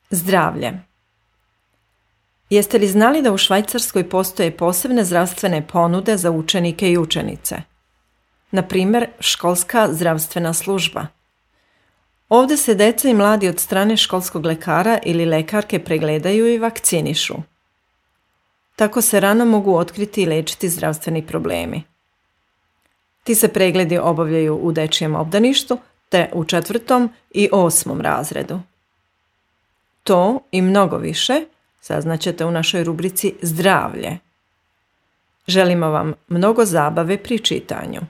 Zdravlje. Jeste li znali da u Švajcarskoj postoje posebne zdravstvene ponude za učenike i učenice? Na primjer, školska zdravstvena služba. Ovdje se deca i mladi od strane školskog lekara ili lekarke pregledaju i vakcinišu. Tako se rano mogu otkriti i liječiti zdravstveni problemi. Ti se pregledi obavljaju u dečjem obdaništu te u 4. i 8. razredu. To i mnogo više saznaćete u našoj rubrici Zdravlje. Želimo vam mnogo zabave pri čitanju.